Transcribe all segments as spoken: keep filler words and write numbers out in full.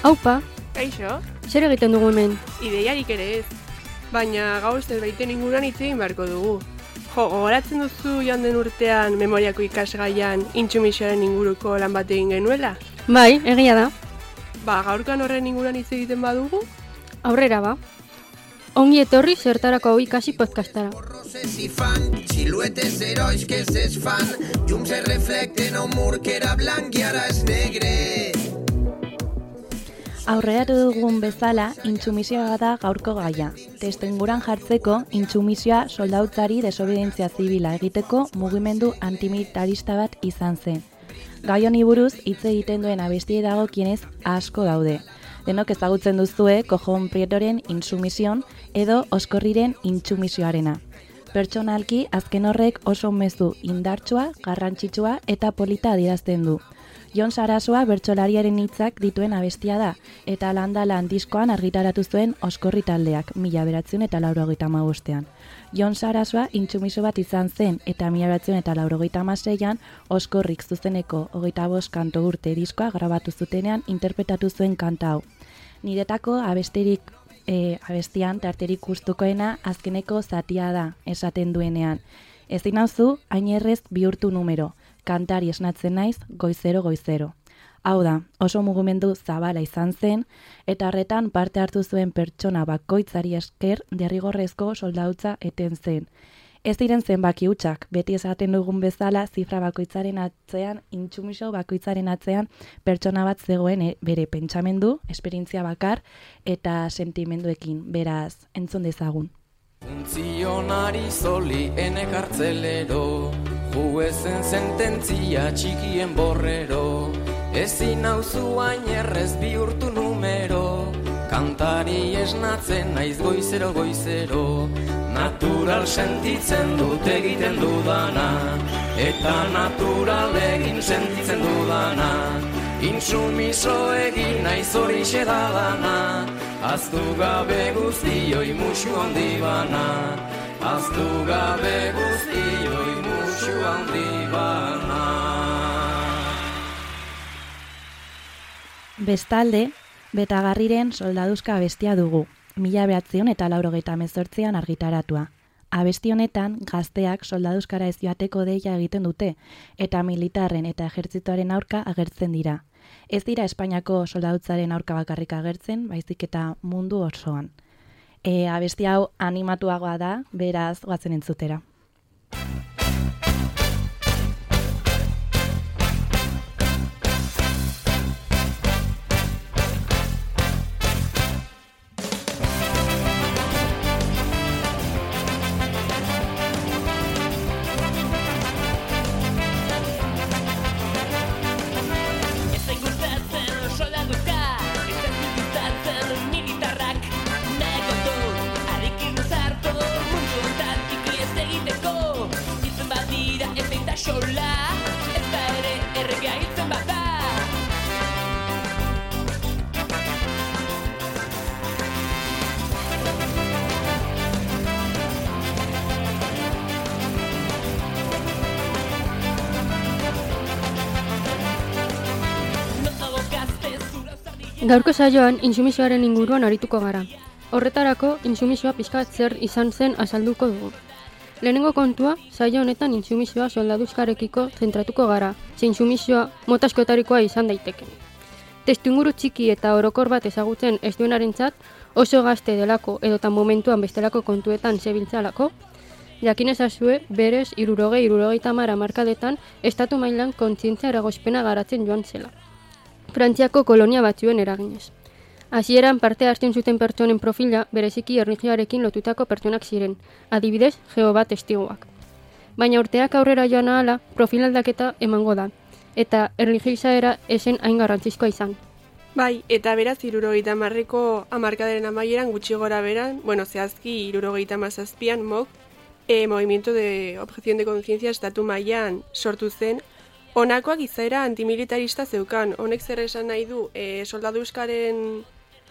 Aupa, Kaixo, zer egiten dugu hemen? ideiarik ere ez. Baina gaur zerbaiten inguruan hitz egin beharko dugu. Jo, gogoratzen duzu joan den urtean memoriako ikasgaian intsumisioaren inguruko lan bat egin genuela? Bai, egia da. Ba, gaurkan horren inguruan hitz egiten badugu? Aurrera ba. Ongi etorri zertarako hau ikasi podcastara. Si fan, siluetes herois que s'es fan, llums es reflecten a un mur que era blanc i ara és negre. Aurreratu dugun bezala, intsumisioa da gaurko gaia. Testuinguruan jartzeko, intsumisioa soldautzari desobedientzia zibila egiteko mugimendu antimilitarista bat izan zen. Gai honi buruz hitz egiten duen abestiei dagokienez asko daude. Denok ezagutzen duzue Kojon Prietoren Intsumision edo Oskorriren Intsumisioarena. Pertsonalki azken horrek oso mezu indartsua, garrantzitsua eta polita adierazten du. Jon Sarasua bertsolariaren hitzak dituen abestia da, eta landa lan diskoan argitaratu zuen Oskorri taldeak, mila bederatziehun eta laurogeita hamabostean. Jon Sarasua intsumiso bat izan zen, eta mila bederatziehun eta laurogeita hamaseian Oskorrik zuzeneko hogeita bost kanto urte diskoa grabatu zutenean interpretatu zuen kanta hau. Niretako abesterik e, abestian tarterik gustukoena azkeneko zatia da, esaten duenean. Ezin nauzu hain errez bihurtu numero. Kantari esnatzen naiz goizero goizero. Hau da, oso mugimendu zabala izan zen, eta horretan parte hartu zuen pertsona bakoitzari esker derrigorrezko soldautza eten zen. Ez diren zenbaki hutsak, beti esaten dugun bezala zifra bakoitzaren atzean, intsumiso bakoitzaren atzean pertsona bat zegoen e, bere pentsamendu, esperientzia bakar eta sentimenduekin, beraz, entzun dezagun. Funtzionari zoli ene kartzelero, juezen sententzia txikien borrero, ezin nauzu hain errez bihurtu numero, kantari esnatzen naiz goizero goizero, natural sentitzen dut egiten dudana, eta natural egin sentitzen dudana, intsumiso egin naiz horixe da dana, aztu gabe guztioi musu handi bana, aztu gabe guztioi musu handi bana. Bestalde, Betagarriren soldaduzka abestia dugu, mila bederatziehun eta laurogeita hemezortzian argitaratua. Abesti honetan, gazteak soldaduzkara ez joateko deia egiten dute, eta militarren eta ejertzitoaren aurka agertzen dira. Ez dira Espainiako soldadutzaren aurka bakarrik agertzen, baizik eta mundu osoan. E, abesti hau animatuagoa da, beraz goazen entzutera. Gaurko saioan intsumisioaren inguruan arituko gara. Horretarako, intsumisioa pixka bat zer izan zen azalduko dugu. Lehenengo kontua, saio honetan intsumisioa soldaduzkarekiko zentratuko gara, ze intsumisioa mota askotarikoa izan daiteke. Testuinguru txiki eta orokor bat ezagutzen ez duenarentzat, oso gazte delako edota momentuan bestelako kontuetan zebiltzalako, jakin ezazue berez hirurogei hirurogeita hamar hamarkadetan estatu mailan kontzientzia eragozpena garatzen joan zela. Frantziako kolonia batzuen eraginez. Hasieran parte hartzen zuten pertsonen profila bereziki erlijioarekin lotutako pertsonak ziren, adibidez Jehova testiguak. Baina urteak aurrera joan ahala profil aldaketa emango da, eta erlijio izaera esen hain garrantzizkoa izan. Bai, eta beraz hirurogeita hamarreko hamarkadaren amaieran gutxi gora beran, bueno, zehazki hirurogeita hamazazpian M O C, e, Movimiento de Objeción de Conciencia estatu mailan sortu zen. Honakoak izaera antimilitarista zeukan, honek zer esan nahi du, e, soldaduzkaren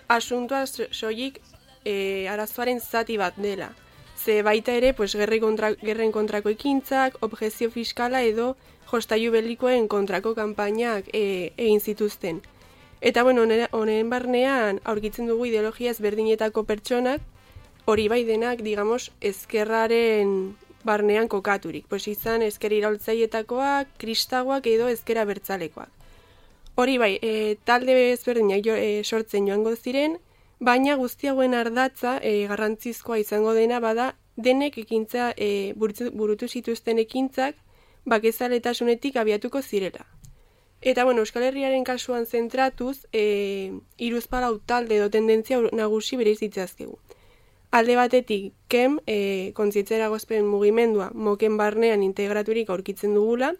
asuntua soilik e, arazoaren zati bat dela. Ze baita ere, pues, gerri kontra, gerren kontrako ekintzak, objezio fiskala edo jostailu belikoen kontrako kanpainak e, egin zituzten. Eta, bueno, honen barnean aurkitzen dugu ideologia ezberdinetako pertsonak, hori bai denak, digamos, ezkerraren barnean kokaturik. Pues izan ezker iraultzaietakoak, kristagoak edo ezkera bertzalekoak. Hori bai, e, talde ezberdinak jo, e, sortzen joango ziren, baina guzti hauen ardatza e, garrantzizkoa izango dena bada denek ekintza e, burutu, burutu zituzten ekintzak bakezaletasunetik abiatuko zirela. Eta, bueno, Euskal Herriaren kasuan zentratuz, e, hiruzpalau talde edo tendentzia nagusi bereiz ditzazkegu. Alde batetik, kem, e, kontzientzia eragozpen mugimendua moken barnean integraturik aurkitzen dugula,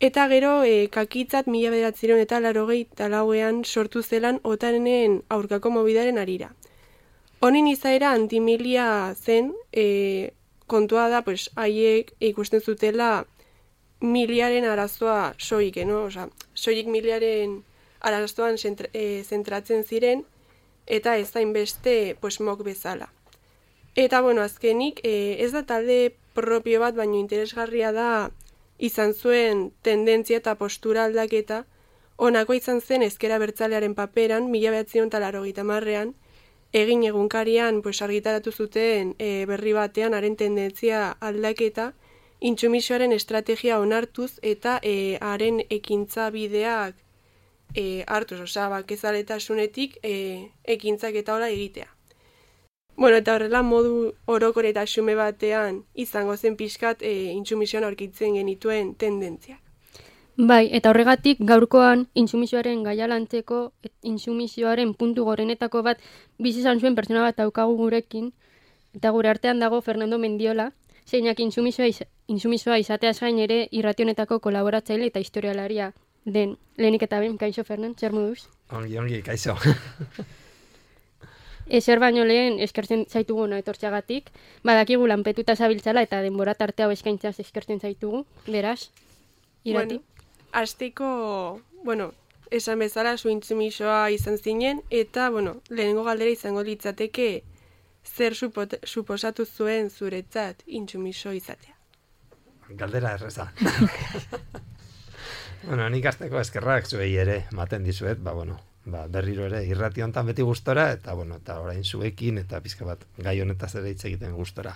eta gero e, kakitzat mila bederatziron eta larogei talauean sortu zelan otanen aurkako mobidaren arira. Honin izaera antimilia zen, e, kontua da, pues, haiek ikusten zutela miliaren arazoa soik, no? Osa, soik miliaren arazoan zentra, e, zentratzen ziren, eta ez hainbeste pues, mok bezala. Eta, bueno, azkenik, e, ez da talde propio bat, baino interesgarria da izan zuen tendentzia eta postura aldaketa, honako izan zen ezkera bertzalearen paperan, mila behatzion eta laurogeita hamarrean, egin egunkarian pues, argitaratu zuten e, berri batean haren tendentzia aldaketa, intsumisioaren estrategia onartuz eta e, haren ekintza bideak e, hartuz, osea, bakezaletasunetik e, ekintzak eta hola egitea. Bueno, eta horrela modu orokor eta xume batean izango zen pixkat e, intsumisioan aurkitzen genituen tendentziak. Bai, eta horregatik gaurkoan intsumisioaren gaialantzeko, intsumisioaren puntu gorenetako bat bizi izan zuen pertsona bat daukagu gurekin, eta gure artean dago Fernando Mendiola, zeinak intsumisoa, iz, intsumisoa izateaz gain ere irrationetako kolaboratzaile eta historialaria den. Lehenik eta ben, kaixo Fernand, zer moduz? Ongi, ongi, kaixo. Ezer baino lehen eskertzen zaitugu no etortxagatik, badakigu lanpetuta zabiltzala eta denbora tarte hau eskaintzaz eskertzen zaitugu, beraz, irati. Bueno, hasteko, bueno, esan bezala zu intsumisoa izan zinen, eta, bueno, lehenengo galdera izango litzateke zer supot, suposatu zuen zuretzat intsumiso izatea? Galdera erreza. Bueno, nik azteko eskerrak zuei ere maten dizuet, ba, bueno, ba, berriro ere irrati hontan beti gustora, eta, bueno, eta orain zuekin, eta pizka bat gai honetaz ere hitz egiten gustora.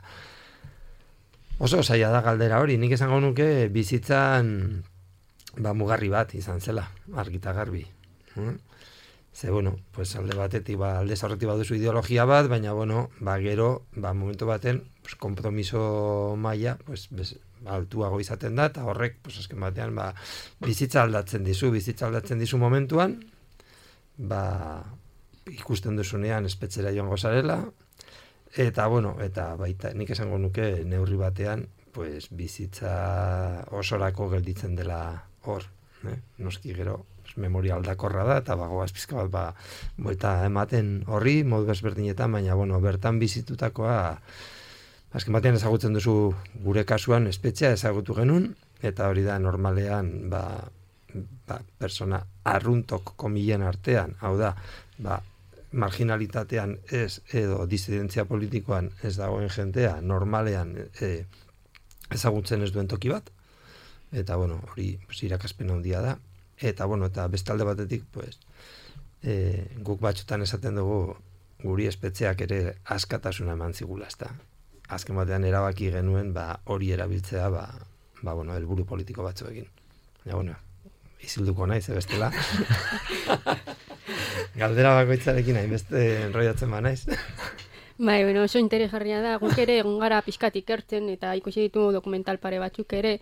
Oso zaila da galdera hori, nik esango nuke bizitzan ba, mugarri bat izan zela, argita garbi. Hmm? Ze, bueno, pues alde batetik, ba, alde zaurretik baduzu ideologia bat, baina, bueno, ba, gero, ba, momentu baten, pues, kompromiso maila, pues, bez, ba, altuago izaten da, eta horrek, pues, azken batean, ba, bizitza aldatzen dizu, bizitza aldatzen dizu momentuan, ba, ikusten duzunean espetzera joango zarela, eta, bueno, eta baita, nik esango nuke neurri batean, pues, bizitza osorako gelditzen dela hor, eh? Noski gero, memoria aldakorra da, eta bagoaz pizka bat, ba, boita ematen horri, modu ezberdinetan, baina, bueno, bertan bizitutakoa, azken batean ezagutzen duzu gure kasuan espetxea ezagutu genuen, eta hori da normalean, ba, ba, persona arruntok komilen artean, hau da, ba, marginalitatean ez, edo disidentzia politikoan ez dagoen jentea, normalean e, ezagutzen ez duen toki bat, eta, bueno, hori pues, irakaspen handia da, eta, bueno, eta bestalde batetik, pues, e, guk batzutan esaten dugu guri espetxeak ere askatasuna eman zigula, ezta. Azken batean erabaki genuen, ba, hori erabiltzea, ba, ba, bueno, helburu politiko batzuekin. Ja, bueno, izilduko naiz, bestela. Galdera bakoitzarekin hainbeste enroiatzen ba naiz. Bai, bueno, oso interesgarria da, guk ere egon gara pixkat ikertzen, eta ikusi ditugu dokumental pare batzuk ere,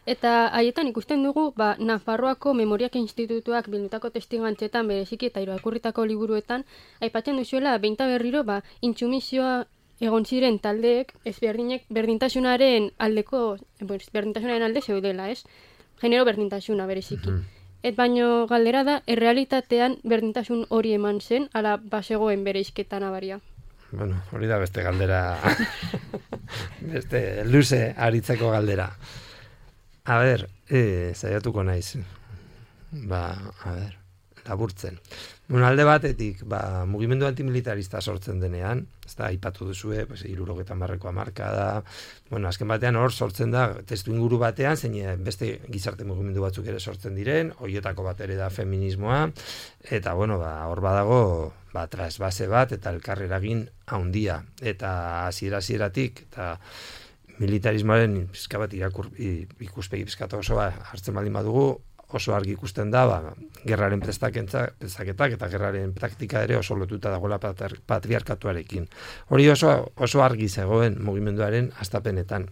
eta haietan ikusten dugu, ba, Nafarroako Memoriak Institutuak bildutako testigantzetan, bereziki eta irakurritako liburuetan, aipatzen duzuela, behinta berriro, ba, intsumisioa egon ziren taldeek, ezberdinek berdintasunaren aldeko, berdintasunaren alde zeudela, ez? Genero berdintasuna, bereziki. Mm-hmm. Et baino galdera da, errealitatean berdintasun hori eman zen, ala basegoen bereizketa nabaria. Bueno, hori da beste galdera, beste luze aritzeko galdera. A ber, eh, saiatuko naiz. Ba, a ber, laburtzen. Bueno, alde batetik, ba, mugimendu antimilitarista sortzen denean, ez da, aipatu duzue, pues, hirurogeita hamarreko hamarka da, bueno, azken batean hor sortzen da, testu inguru batean, zein beste gizarte mugimendu batzuk ere sortzen diren, horietako bat ere da feminismoa, eta, bueno, ba, hor badago, ba, trasbase bat, eta elkarreragin handia, eta hasiera-hasieratik, eta militarismoaren pizka bat irakur, ikuspegi pizkatu osoa hartzen baldin badugu, oso argi ikusten da, ba, gerraren prestaketak eta gerraren praktika ere oso lotuta dagoela patriarkatuarekin. Hori oso, oso argi zegoen mugimenduaren hastapenetan.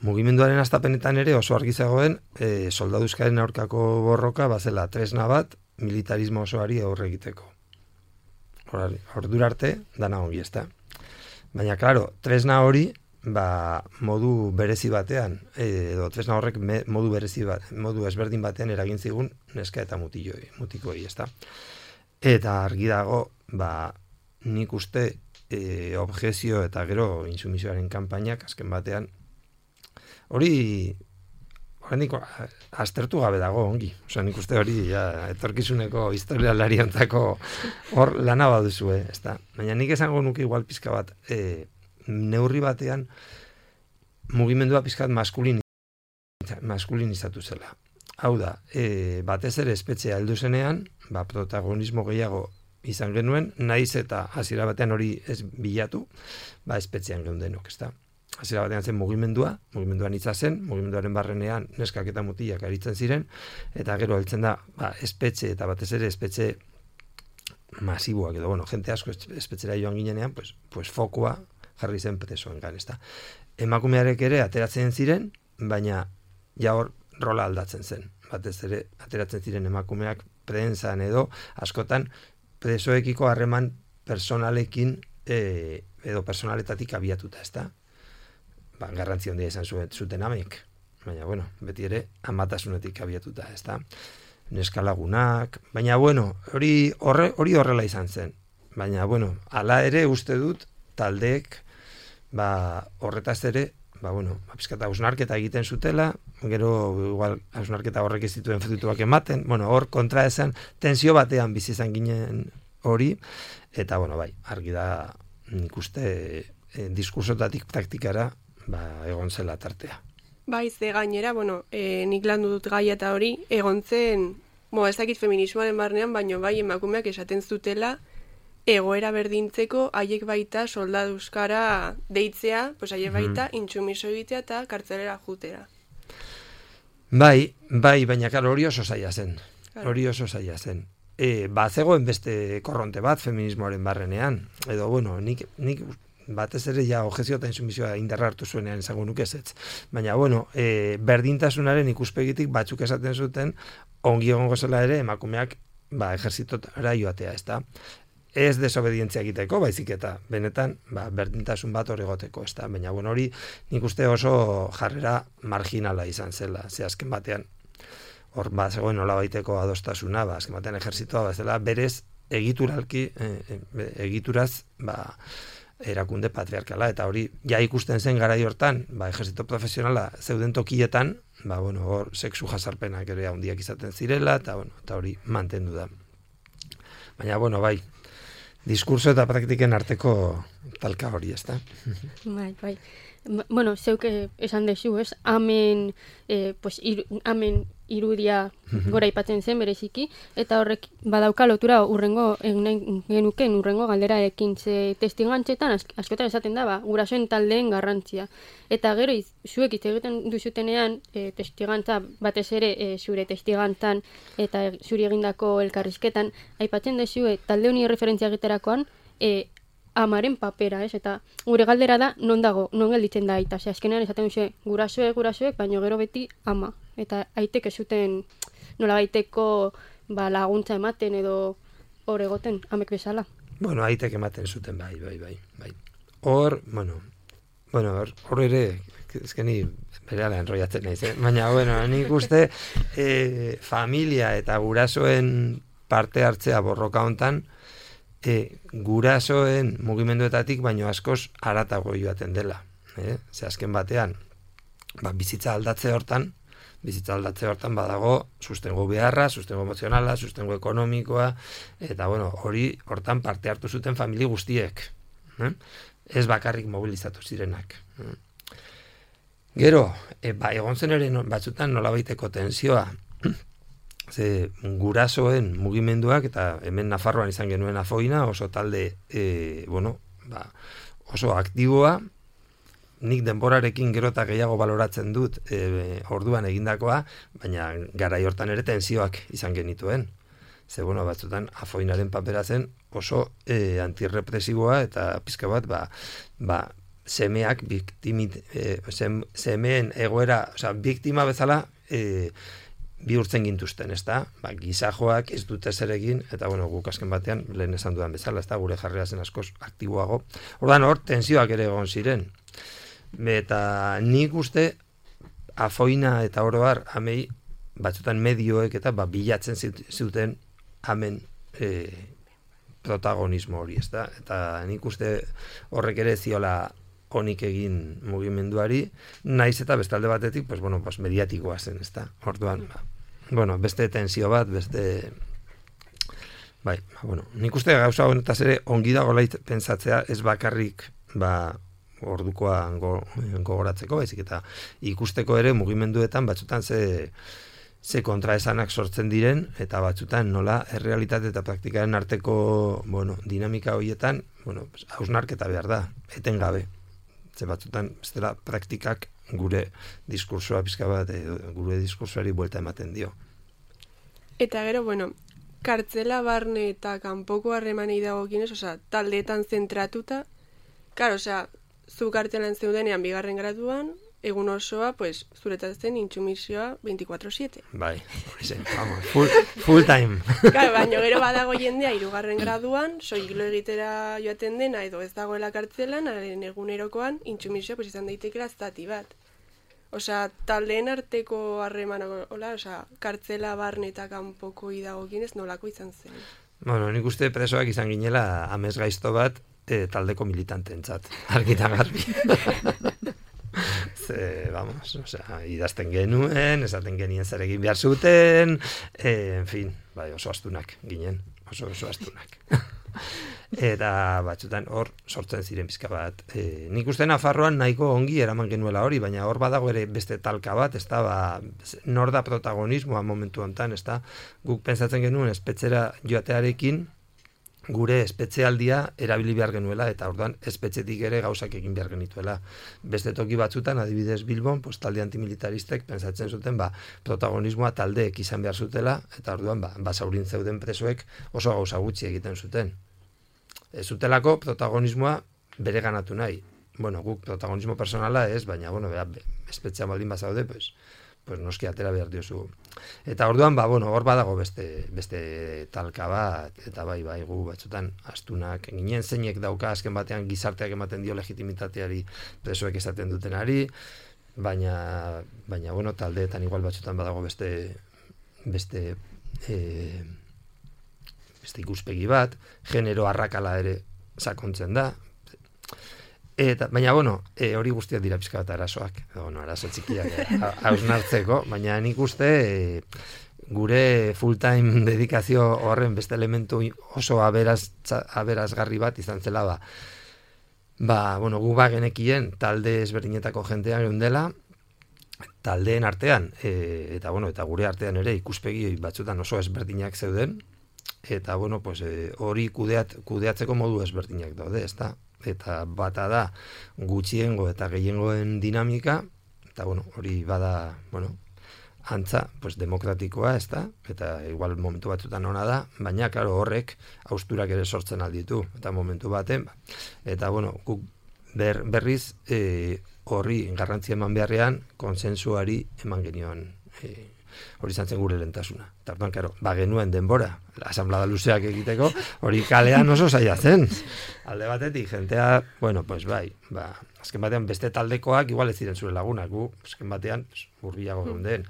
Mugimenduaren hastapenetan ere oso argi zegoen e, soldaduzkaren aurkako borroka bazela tresna bat militarismo osoari aurre egiteko. Ordura arte, dana ongi ezta. Baina, klaro, tresna hori ba, modu berezi batean, edo tresna horrek me, modu berezi bat, modu ezberdin batean eragin zigun neska eta mutiloi, mutikoi, ezta. Eta argi dago, ba, nik uste e, objezio eta gero intsumisioaren kanpainak azken batean, hori oraindik aztertu gabe dago ongi. Osea, nik uste hori ja, etorkizuneko historialariantzako hor lana baduzue, ezta. Baina nik esango nuke igual pizka bat, e, neurri batean mugimendua pizkat maskulin, maskulinizatu zela. Hau da, e, batez ere espetxea heldu zenean, ba, protagonismo gehiago izan genuen, naiz eta hasiera batean hori ez bilatu, ba, espetxean geundenok, ezta. Hasiera batean zen mugimendua, mugimenduan hitza zen, mugimenduaren barrenean neskak eta mutilak aritzen ziren, eta gero heltzen da, ba, espetxe eta batez ere espetxe masiboak edo, bueno, jente asko espetxera joan ginenean, pues, pues fokua jarri zen presoen gan, ezta. Emakumearek ere ateratzen ziren, baina ja hor rola aldatzen zen. Batez ere ateratzen ziren emakumeak prentsan edo askotan presoekiko harreman personalekin e, edo personaletatik abiatuta, ezta. Ba, garrantzi handia izan zuen zuten amek, baina bueno, beti ere amatasunetik abiatuta, ezta. Neskalagunak, baina bueno, hori horre, hori horrela izan zen. Baina bueno, hala ere uste dut taldeek ba, horretaz ere, ba, bueno, pizkata hausnarketa egiten zutela, gero igual hausnarketa horrek ez dituen fruituak ematen, bueno, hor kontra esan, tensio batean bizi izan ginen hori, eta bueno, bai, argi da nik uste e, diskursotatik praktikara ba, egon zela tartea. Bai, ze gainera, bueno, e, nik landu dut gaia eta hori, egon zen, bo, ez dakit feminismoaren barnean, baino bai emakumeak esaten zutela, egoera berdintzeko haiek baita soldaduzkara deitzea, pues haiek baita mm. intsumiso egitea eta kartzelera jutera. Bai, bai, baina karo hori oso zaila zen. Claro. Hori oso zaila zen. E, ba, zegoen beste korronte bat feminismoaren barrenean. Edo, bueno, nik, nik batez ere ja objezio eta intsumisioa indarra hartu zuenean izango nuke ezetz. Baina, bueno, e, berdintasunaren ikuspegitik batzuk esaten zuten, ongi egongo zela ere emakumeak ba, ejerzitotara joatea, ezta? Ez desobedientzia egiteko, baizik eta benetan ba, berdintasun bat hor egoteko, ezta? Baina, bueno, hori nik uste oso jarrera marginala izan zela, ze azken batean hor ba, zegoen nola baiteko adostasuna, ba, azken batean ejerzitoa bazela berez egituralki, e, e, egituraz ba, erakunde patriarkala, eta hori ja ikusten zen garai hortan, ba, ejerzito profesionala zeuden tokietan, ba, bueno, hor sexu jasarpenak ere handiak izaten zirela, eta, bueno, eta hori mantendu da. Baina, bueno, bai, diskurso eta praktiken arteko talka hori, ezta? Bai, bai. Bueno, zeuk esan dezu, ez? Amen, eh, pues, ir, amen irudia gora ipatzen zen bereziki, eta horrek badauka lotura urrengo genuken urrengo galderarekin, ze testigantzetan askotan esaten da, ba, gurasoen taldeen garrantzia. Eta gero, zuek hitz egiten duzutenean, e, testigantza batez ere e, zure testigantzan eta e, zuri egindako elkarrizketan, aipatzen dezu, e, talde honi referentzia egiterakoan, e, amaren papera, ez? Eta gure galdera da, non dago, non gelditzen da aita. Ze azkenean esaten duzu, gurasoek, gurasoek, baino gero beti ama. Eta aitek ez zuten nola baiteko ba, laguntza ematen edo hor egoten, amek bezala. Bueno, aitek ematen zuten, bai, bai, bai. bai. Hor, bueno, bueno, hor, hor ere, ezkeni berehala enrollatzen naiz, eh? Baina, bueno, nik uste eh, familia eta gurasoen parte hartzea borroka hontan, E, gurasoen mugimenduetatik baino askoz haratago joaten dela. Eh? Ze azken batean, ba, bizitza aldatze hortan, bizitza aldatze hortan badago sustengo beharra, sustengo emozionala, sustengo ekonomikoa, eta bueno, hori hortan parte hartu zuten famili guztiek. Eh? Ez bakarrik mobilizatu zirenak. Eh? Gero, e, ba, egon zen ere batzutan nolabaiteko tensioa, ze gurasoen mugimenduak, eta hemen Nafarroan izan genuen Afoina, oso talde, e, bueno, ba, oso aktiboa, nik denborarekin gero eta gehiago baloratzen dut e, orduan egindakoa, baina garai hortan ere tensioak izan genituen. Ze, bueno, batzutan Afoinaren papera zen oso e, antirrepresiboa eta pizka bat, ba, ba, semeak biktimit, e, sem, semeen egoera, osea, biktima bezala e, bihurtzen gintuzten, ezta? Ba, gizajoak ez dute zer egin, eta bueno, guk azken batean lehen esan dudan bezala, ezta? Gure jarrera zen askoz aktiboago. Ordan hor tensioak ere egon ziren. Eta nik uste Afoina eta oro har amei batzutan medioek eta ba, bilatzen zuten amen e, protagonismo hori, ezta? Eta nik uste horrek ere ziola onik egin mugimenduari, naiz eta bestalde batetik, pues bueno, pues mediatikoa zen, ezta? Orduan, ba, bueno, beste tensio bat, beste bai, ba, bueno, nik uste gauza honetaz ere ongi dago lait pentsatzea, ez bakarrik, ba, ordukoa go, gogoratzeko, baizik eta ikusteko ere mugimenduetan batzutan ze ze kontraesanak sortzen diren, eta batzutan nola errealitate eta praktikaren arteko, bueno, dinamika horietan, bueno, pues, hausnarketa behar da, etengabe. Ze batzutan, bestela, praktikak gure diskursoa pizka bat, e, gure diskursoari buelta ematen dio. Eta gero, bueno, kartzela barne eta kanpoko harremanei dagokienez, osea, taldeetan zentratuta, claro, osea, zu kartzelan zeudenean bigarren graduan, egun osoa, pues, zuretatzen intsumisioa veinticuatro siete. Bai, hori zen, vamos, full, full time. Claro, baina gero badago jendea hirugarren graduan, soilo egitera joaten dena edo ez dagoela kartzelan, haren egunerokoan intsumisioa pues, izan daitekela zati bat. Osea, taldeen arteko harremana, hola, osea, kartzela barne eta kanpoko idagokienez nolako izan zen. Bueno, nik uste presoak izan ginela amez gaizto bat e, taldeko militantentzat, argitan garbi. Ze, vamos, o sea, idazten genuen, esaten genien zer egin behar zuten, e, en fin, bai, oso astunak ginen, oso oso astunak. Eta batzutan hor sortzen ziren pizka bat. E, nik uste Nafarroan nahiko ongi eraman genuela hori, baina hor badago ere beste talka bat, ez da, ba, nor da protagonismoa momentu hontan, ez da, guk pentsatzen genuen espetxera joatearekin, gure espetxealdia erabili behar genuela, eta orduan espetxetik ere gauzak egin behar genituela. Beste toki batzutan, adibidez Bilbon, pues, talde antimilitaristek pentsatzen zuten, ba, protagonismoa taldeek izan behar zutela, eta orduan, ba, basaurin zeuden presoek oso gauza gutxi egiten zuten. Ez zutelako protagonismoa bere ganatu nahi. Bueno, guk protagonismo personala ez, baina, bueno, bera, espetxean baldin bazaude, pues, pues noski atera behar diozu. Eta orduan, ba, bueno, hor badago beste, beste talka bat, eta bai, bai, gu batzutan astunak ginen, zeinek dauka azken batean gizarteak ematen dio legitimitateari presoek esaten dutenari, baina, baina, bueno, taldeetan igual batzutan badago beste, beste, e, beste ikuspegi bat, genero arrakala ere sakontzen da, eta, baina, bueno, e, hori guztiak dira pizka bat arazoak, bueno, arazo txikiak hausnartzeko, baina nik uste e, gure full-time dedikazio horren beste elementu oso aberaz, aberazgarri bat izan zela, ba, ba bueno, gu ba genekien talde ezberdinetako jendean geundela, taldeen artean, e, eta, bueno, eta gure artean ere ikuspegi batzutan oso ezberdinak zeuden, eta, bueno, pues, e, hori kudeat, kudeatzeko modu ezberdinak daude, ez da? Eta bata da gutxiengo eta gehiengoen dinamika, eta, bueno, hori bada, bueno, antza, pues, demokratikoa, ez da? Eta igual momentu batzutan ona da, baina, klaro, horrek hausturak ere sortzen alditu, eta momentu baten, eta, bueno, guk ber, berriz e, horri garrantzia eman beharrean konsensuari eman genioan e, hori izan zen gure lentasuna. Eta orduan, karo, ba genuen denbora, asamblada luzeak egiteko, hori kalean oso zaila zen. Alde batetik, jentea, bueno, pues bai, ba, azken batean beste taldekoak igual ez ziren zure lagunak, gu, azken batean, pues, urbiago geunden,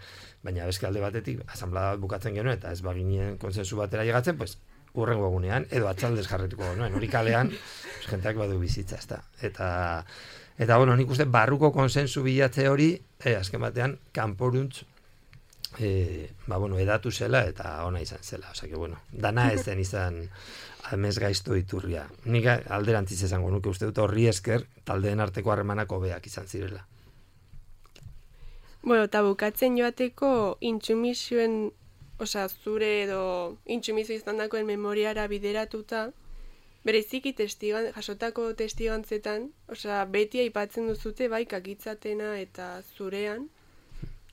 baina bezke alde batetik, asamblada bukatzen genuen, eta ez baginen konsensu batera llegatzen, pues, urrengo egunean, edo atxaldez jarretuko genuen, hori kalean, pues, jenteak badu bizitza, ez da. Eta, eta, bueno, nik uste barruko konsensu bilatze hori, eh, azken batean, kanporuntz e, ba, bueno, edatu zela eta ona izan zela. Osea, que, bueno, dana ez zen izan amez gaizto iturria. Nik alderantziz esango nuke uste dut horri esker taldeen arteko harremanak hobeak izan zirela. Bueno, eta bukatzen joateko intsumisioen, osea, zure edo intsumisio izan dakoen memoriara bideratuta, bereziki testigan, jasotako testigantzetan, osea, beti aipatzen duzute bai kakitzatena eta zurean,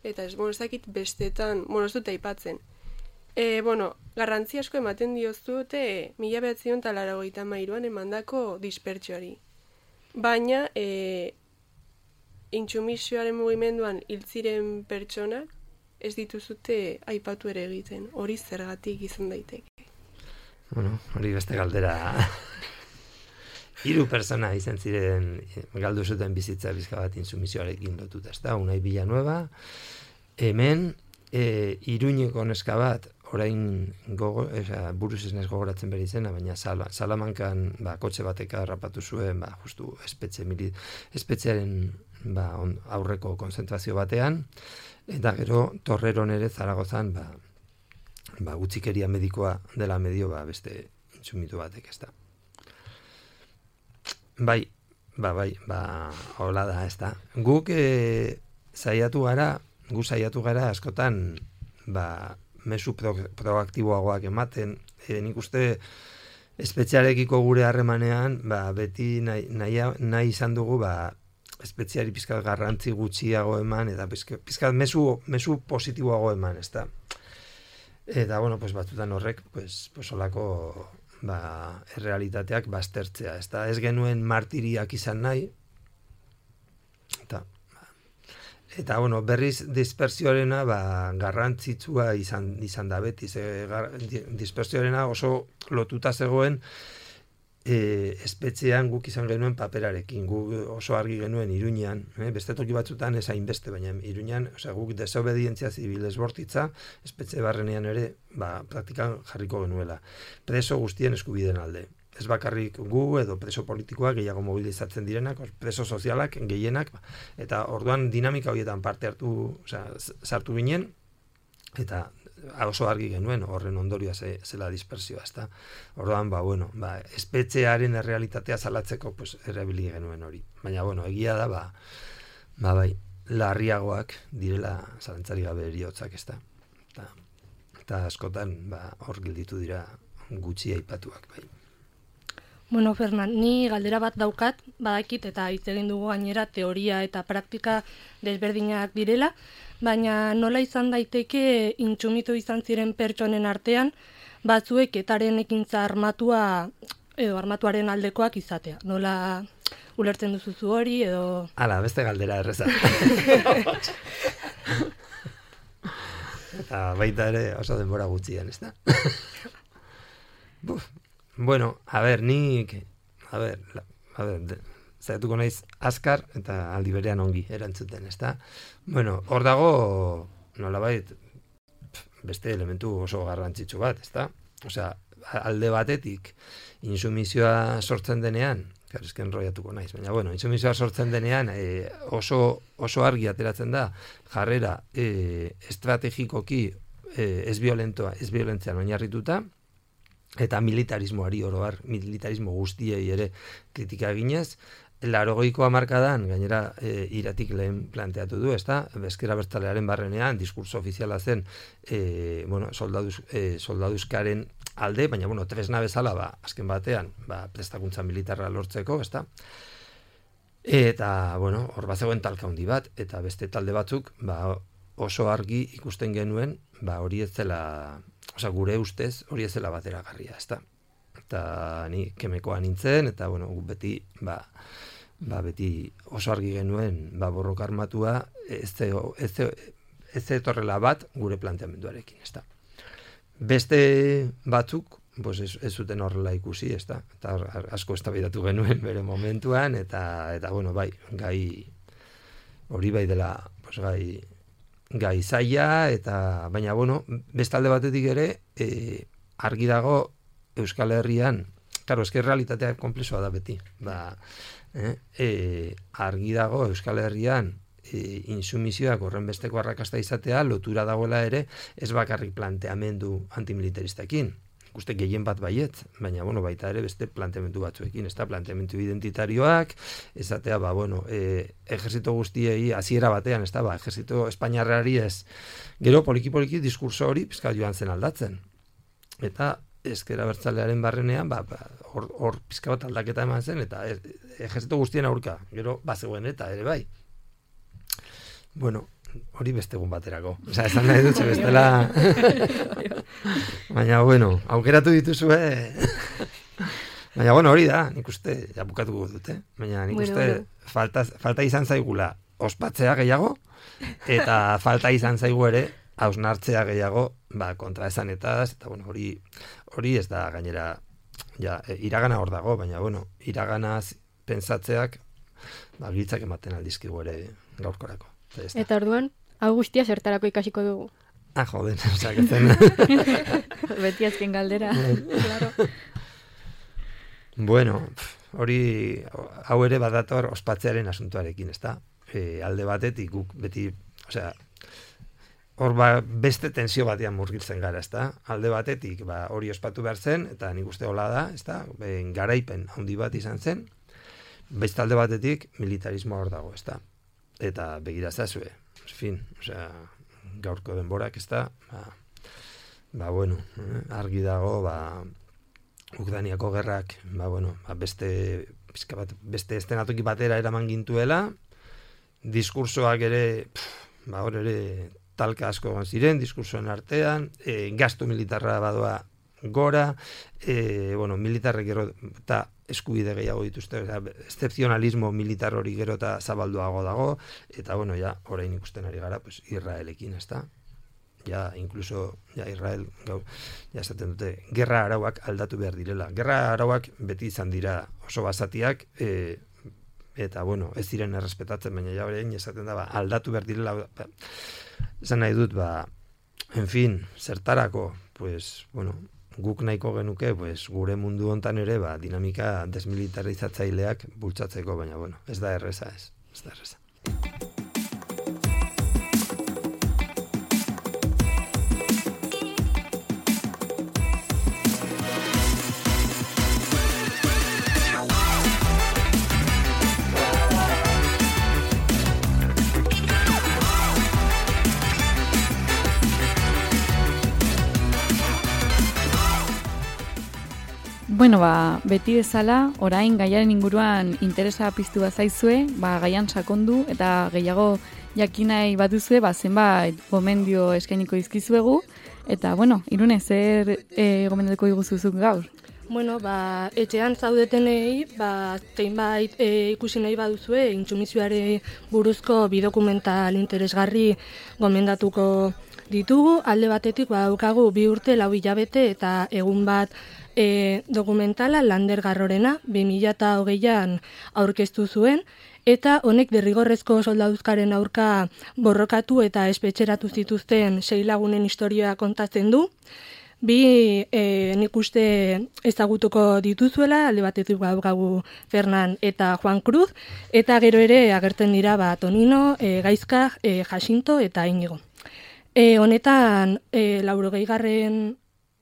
eta ez, bueno, ez dakit bestetan, bueno, ez dute aipatzen. E, bueno, garrantzi asko ematen diozute mila bederatziehun eta laurogeita hamairuan emandako dispertsioari. Baina, e, intsumisioaren mugimenduan hil ziren pertsonak ez dituzute aipatu ere egiten. Hori zergatik izan daiteke. Bueno, hori beste galdera. Hiru pertsona izan ziren galdu zuten bizitza bizka bat intsumisioarekin lotuta, ezta? Unai Villanueva, hemen e, Iruñeko neska bat, orain gogo, esa, buruz ez naiz gogoratzen bere izena, baina Sala, Salamankan ba, kotxe bateka harrapatu zuen, ba, justu espetxe, mili, espetxearen ba, on, aurreko konzentrazio batean, eta gero Torreron ere Zaragozan ba, ba, utzikeria medikoa dela medio ba, beste intsumitu batek, ez da. Bai, ba, bai, ba, hola da, ez da. Guk e, saiatu gara, gu saiatu gara askotan, ba, mezu pro, proaktiboagoak ematen, e, nik uste espetxearekiko gure harremanean, ba, beti nahi, nahi, nahi izan dugu, ba, espetxeari pizkat garrantzi gutxiago eman, eta pizkat mezu, mezu positiboago eman, ez da. Eta, bueno, pues, batzutan horrek, pues, pues, olako, ba, errealitateak baztertzea, ez da. Ez genuen martiriak izan nahi, eta, Eta, bueno, berriz dispersioarena ba, garrantzitsua izan, izan da beti. Ze, gar, dispersioarena oso lotuta zegoen e, espetxean guk izan genuen paperarekin. Guk oso argi genuen Iruñean, eh? Beste toki batzutan ez hainbeste, baina Iruñean, osea, guk desobedientzia zibil esbortitza, espetxe barrenean ere ba, praktikan jarriko genuela. Preso guztien eskubideen alde. Ez bakarrik gu edo preso politikoak gehiago mobilizatzen direnak, preso sozialak gehienak, eta orduan dinamika horietan parte hartu, osea, sartu ginen, eta oso argi genuen horren ondorioa ze, zela dispersioa, ezta. Orduan, ba, bueno, ba, espetxearen errealitatea salatzeko, pues, erabili genuen hori. Baina, bueno, egia da, ba, ba bai, larriagoak direla zalantzari gabe heriotzak, ezta. Eta, eta askotan, ba, hor gelditu dira gutxi aipatuak, bai. Bueno, Fernand, ni galdera bat daukat, badakit eta hitz egin dugu gainera teoria eta praktika desberdinak direla, baina nola izan daiteke intsumitu izan ziren pertsonen artean, batzuek etaren ekintza armatua edo armatuaren aldekoak izatea. Nola ulertzen duzu hori edo... Hala, beste galdera erreza. Eta baita ere oso denbora gutxian, ez da? Buf. Bueno, a ver, nik, a ver, la, a ver, zaiatuko naiz azkar eta aldi berean ongi erantzuten, ezta? Bueno, hor dago, nolabait, beste elementu oso garrantzitsu bat, ezta? Osea, alde batetik, insumizioa sortzen denean, claro, es que enrollatuko naiz, baina, bueno, insumizioa sortzen denean, e, oso, oso argi ateratzen da, jarrera e, estrategikoki e, ez violentoa, ez violentzian oinarrituta, eta militarismoari oro har, militarismo guztiei ere kritika eginez, laurogeiko hamarkadan, gainera e, iratik lehen planteatu du, ezta? Ezker Abertzalearen barrenean, diskurso ofiziala zen e, bueno, soldaduz, e, soldaduzkaren alde, baina, bueno, tresna bezala, ba, azken batean, ba, prestakuntza militarra lortzeko, ezta? Eta, bueno, hor bat zegoen talka handi bat, eta beste talde batzuk, ba, oso argi ikusten genuen, ba, hori ez zela... Osa, gure ustez hori ez zela bateragarria, ezta. Eta ni kemekoa nintzen, eta bueno, beti, ba, ba, beti oso argi genuen, ba, borroka armatua ez ez etorrela bat gure planteamenduarekin, ezta. Beste batzuk, pues ez, ez zuten horrela ikusi, ezta. Eta asko eztabaidatu genuen bere momentuan, eta, eta bueno, bai, gai hori bai dela, pues gai... gai zaila, eta baina, bueno, bestalde batetik ere, e, argi dago Euskal Herrian, claro, eske realitatea konplexua da beti, ba, eh, e, argi dago Euskal Herrian, e, insumizioak horren besteko arrakasta izatea lotura dagoela ere ez bakarrik planteamendu antimilitaristakin. Uste gehien bat baiet, baina bueno, baita ere beste planteamendu batzuekin, ez da planteamendu identitarioak, esatea, ba, bueno, e, ejerzito guztiei hasiera batean, ez da, ba, ejerzito espainiarrari ez, gero poliki-poliki diskurso hori pizka joan zen aldatzen. Eta ezker abertzalearen barrenean, ba, ba, hor, hor pizka bat aldaketa eman zen, eta e, ejerzito guztien aurka, gero bazegoen eta ere bai. Bueno, hori beste egun baterako. Osa, esan nahi dut, bestela... Baina, bueno, aukeratu dituzue... Baina, bueno, hori da, nik uste, ja bukatuko dut, eh? Baina, nik Bueno, uste, bueno. falta, falta izan zaigula ospatzea gehiago, eta falta izan zaigu ere, hausnartzea gehiago, ba, kontra esanetaz, eta, bueno, hori, hori ez da, gainera, ja, e, iragana hor dago, baina, bueno, iraganaz pensatzeak, ba, giltzak ematen aldizkigu ere gaurkorako. Eta ez da. Eta orduan, hau guztia zertarako ikasiko dugu. Ah, joden, osak ezen. Beti azken galdera. Bueno, pf, hori, hau ere badator ospatzearen asuntuarekin, ezta? E, alde batetik guk beti, osea, hor ba, beste tensio batean murgiltzen gara, ezta? Alde batetik, ba, hori ospatu behar zen, eta nik uste hola da, ezta? Ben, garaipen handi bat izan zen, beste alde batetik militarismo hor dago, ezta? Eta begira zazue, en fin, osea, gaurko denborak, ezta? Ba, ba bueno, eh, argi dago, ba, Ukrainiako gerrak, ba, bueno, ba, beste, pizka bat, beste estenatoki batera eraman gintuela, diskursoak ere, pff, ba, hor ere talka asko egon ziren, diskursoen artean, e, gastu militarra badoa gora, e, bueno, militarrek gero eta eskubide gehiago dituzte, excepzionalismo militar hori gero eta zabalduago dago, eta bueno, ja, orain ikusten ari gara, pues, Israelekin, ezta? Ja, incluso, ja, Israel, gau, ja, esaten dute, gerra arauak aldatu behar direla. Gerra arauak beti izan dira oso basatiak, e, eta, bueno, ez diren errespetatzen, baina ja, orain esaten da, ba, aldatu behar direla, ba, esan nahi dut, ba, en fin, zertarako, pues, bueno, guk nahiko genuke, pues, gure mundu hontan ere, ba, dinamika desmilitarizatzaileak bultzatzeko, baina, bueno, ez da erreza, ez, ez da erreza. Bueno, ba, beti bezala, orain gaiaren inguruan interesa piztu bazaizue, ba, gaian sakondu eta gehiago jakinai baduzue, ba, zenbait gomendio eskainiko dizkizuegu, eta, bueno, Irune, zer e, gomendatuko diguzuzuk gaur? Bueno, ba, etxean zaudetenei, ba, zeinbait e, ikusi nahi baduzue, intsumisioare buruzko bidokumental interesgarri gomendatuko ditugu. Alde batetik, ba, daukagu bi urte, lau hilabete eta egun bat e, dokumentala Lander Garrorena, bi mila hogeian aurkeztu zuen, eta honek derrigorrezko soldaduzkaren aurka borrokatu eta espetxeratu zituzten sei lagunen historia kontatzen du. Bi e, nik uste ezagutuko dituzuela, alde batetik daukagu Fernan eta Juan Cruz, eta gero ere agertzen dira ba, Tonino, e, Gaizka, e, Jacinto eta Inigo. E, honetan, e, laurogeigarren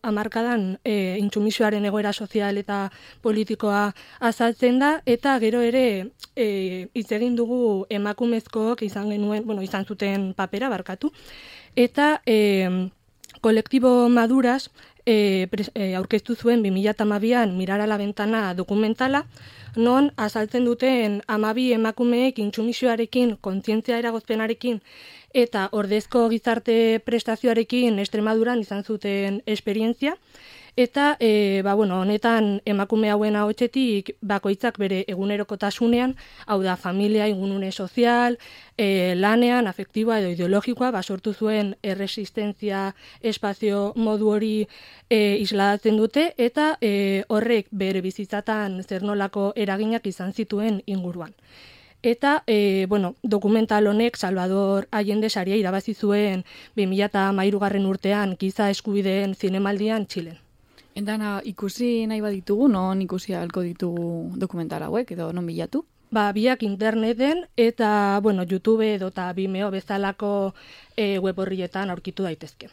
hamarkadan e, intsumisioaren egoera sozial eta politikoa azaltzen da, eta gero ere e, hitz egin dugu emakumezkook izan genuen, bueno, izan zuten papera barkatu, eta e, kolektibo Maduras e, pres, e, aurkeztu zuen bi mila hamabian Mirar a la Ventana dokumentala, non azaltzen duten hamabi emakumeek intsumisioarekin, kontzientzia eragozpenarekin eta ordezko gizarte prestazioarekin Extremaduran izan zuten esperientzia, eta e, ba, bueno, honetan emakume hauen ahotsetik bakoitzak bere egunerokotasunean, hau da familia, ingunune sozial, e, lanean, afektiboa edo ideologikoa, ba, sortu zuen erresistentzia espazio modu hori e, isladatzen dute, eta e, horrek bere bizitzatan zer nolako eraginak izan zituen inguruan. Eta, e, bueno, dokumental honek Salvador Allende saria irabazi zuen bi mila hamairugarren urtean giza eskubideen zinemaldian Txilen. Eta ikusi nahi baditugu, non ikusi ahalko ditugu dokumental hauek, edo non bilatu? ba, biak interneten eta, bueno, YouTube edo eta Vimeo bezalako e, web horrietan aurkitu daitezke.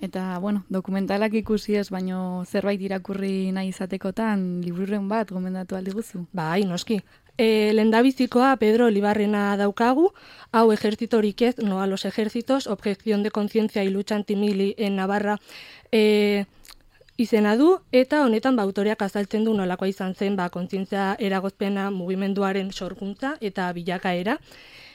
Eta, bueno, dokumentalak ikusi ez, baino zerbait irakurri nahi izatekotan, libururen bat gomendatu aldi guzu? Bai, noski. E, Lehendabizikoa Pedro Olibarrena daukagu, hau ejertzitorik ez, no a los ejércitos, objeción de conciencia y lucha antimili en Navarra, e, izena du, eta honetan ba, autoreak azaltzen du nolakoa izan zen ba, kontzientzia eragozpena mugimenduaren sorkuntza eta bilakaera.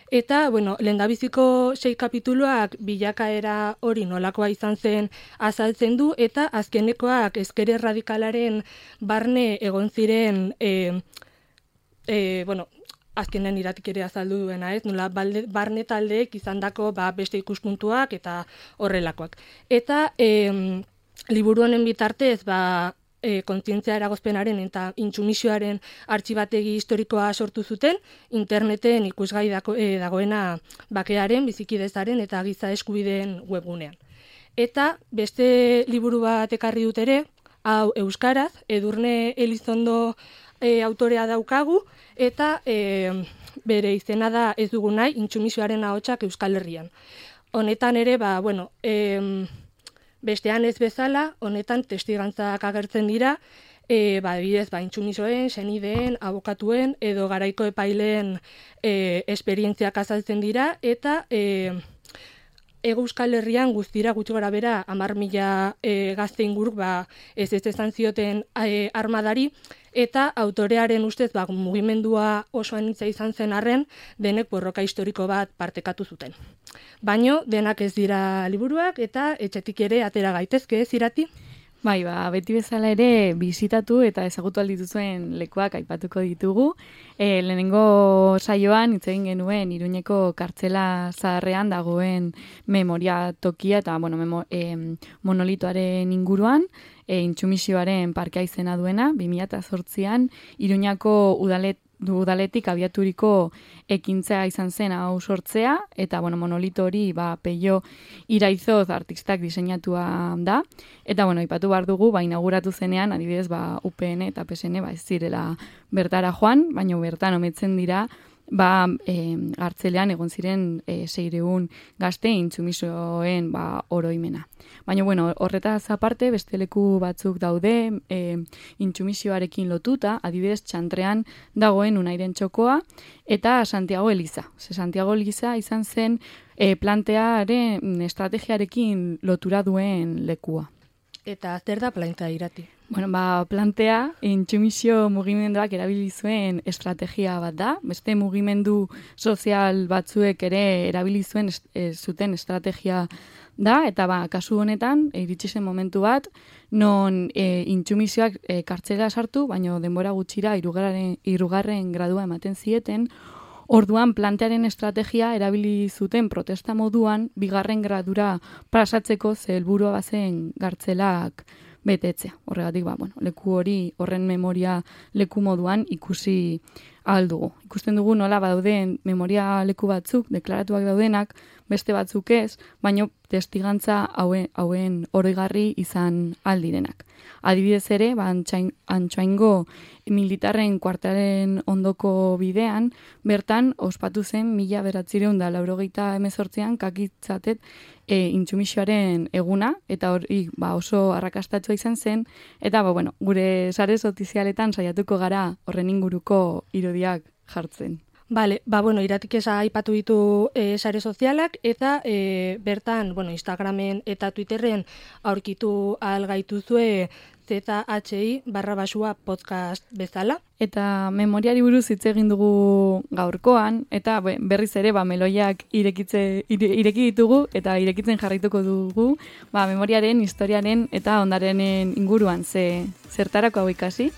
Eta, bueno, lehendabiziko sei kapituluak bilakaera hori nolakoa izan zen azaltzen du, eta azkenekoak ezker erradikalaren barne egon ziren, e, e, bueno, azkenen iratik ere azaldu duena, ez? Nola, balde, barne taldeek izandako ba, beste ikuspuntuak eta horrelakoak. Eta, e, liburu honen bitartez, ba, E, kontzientzia eragozpenaren eta intsumisioaren artxibategi historikoa sortu zuten, interneten ikusgai dago, e, dagoena bakearen, bizikidezaren eta giza eskubideen webgunean. Eta beste liburu bat ekarri dut ere, hau euskaraz, Edurne Elizondo e, autorea daukagu, eta e, bere izena da Ez dugu nahi, intsumisioaren ahotsak Euskal Herrian. Honetan ere, ba, bueno, e, bestean ez bezala, honetan testigantzak agertzen dira, e, ba, bidez, ba, intsumisoen, senideen, abokatuen, edo garaiko epaileen e, esperientziak azaltzen dira, eta e, Ego Euskal Herrian guztira gutxi gora bera hamar mila e, gazte inguruk ba, ez ez ezan zioten e, armadari, eta autorearen ustez ba, mugimendua oso anitza izan zen arren, denek borroka historiko bat partekatu zuten. Baino, denak ez dira liburuak, eta etxetik ere atera gaitezke, ez Irati? Bai, ba, beti bezala ere bizitatu eta ezagutu aldituzuen lekuak aipatuko ditugu. E, lehenengo saioan hitz egin genuen Iruñeko kartzela zaharrean dagoen memoria tokia eta bueno, memo, e, monolitoaren inguruan, e, intsumisioaren parkea izena duena, bi mila zortzian Iruñako udalet du udaletik abiaturiko ekintza izan zen hau sortzea, eta bueno, monolito hori ba, Peio Iraizoz artistak diseinatua da, eta bueno, ipatu behar dugu, ba, inauguratu zenean, adibidez, ba, U P N eta P S N ba, ez zirela bertara joan, baina bertan ometzen dira, ba, e, gartzelean egon ziren e, seireun gazte intsumisoen ba, oroimena. Baina, bueno, horretaz aparte, beste leku batzuk daude, e, intsumisioarekin lotuta, adibidez, Txantrean dagoen Unairen txokoa, eta Santiago Eliza. Ze Santiago Eliza izan zen e, plantearen estrategiarekin lotura duen lekua. Eta zer da plantea Irati? Bueno, ba, plantea intsumisio mugimenduak erabili zuen estrategia bat da. Beste mugimendu sozial batzuek ere erabili zuen e, zuten estrategia da, eta ba, kasu honetan, iritsi zen momentu bat, non e, intsumisioak e, kartzela sartu, baina denbora gutxira irugarren, irugarren gradua ematen zieten, orduan plantearen estrategia erabili zuten protesta moduan, bigarren gradura pasatzeko ze helburua bazen gartzelak betetzea. Horregatik, ba, bueno, leku hori horren memoria leku moduan ikusi ahal dugu. Ikusten dugu nola badauden memoria leku batzuk, deklaratuak daudenak, beste batzuk ez, baino testigantza hauen, hauen oroigarri izan aldirenak. Adibidez ere, ba, Antxoaingo militarren kuartelen ondoko bidean, bertan ospatu zen mila beratzireun da laurogeita hemezortzian kakitzatet e, intsumisioaren eguna, eta hori ba, oso arrakastatua izan zen, eta ba, bueno, gure sare sozialetan saiatuko gara horren inguruko irudiak jartzen. Bale, ba, bueno, Iratik esa aipatu ditu e, sare sozialak, eta e, bertan, bueno, Instagramen eta Twitterren aurkitu ahal gaituzue Z H I barra basua podcast bezala. Eta memoriari buruz hitz egin dugu gaurkoan, eta berriz ere ba, meloiak irekitze, ire, ireki ditugu, eta irekitzen jarraituko dugu, ba, memoriaren, historiaren eta ondarenen inguruan, ze zertarako hau ikasi.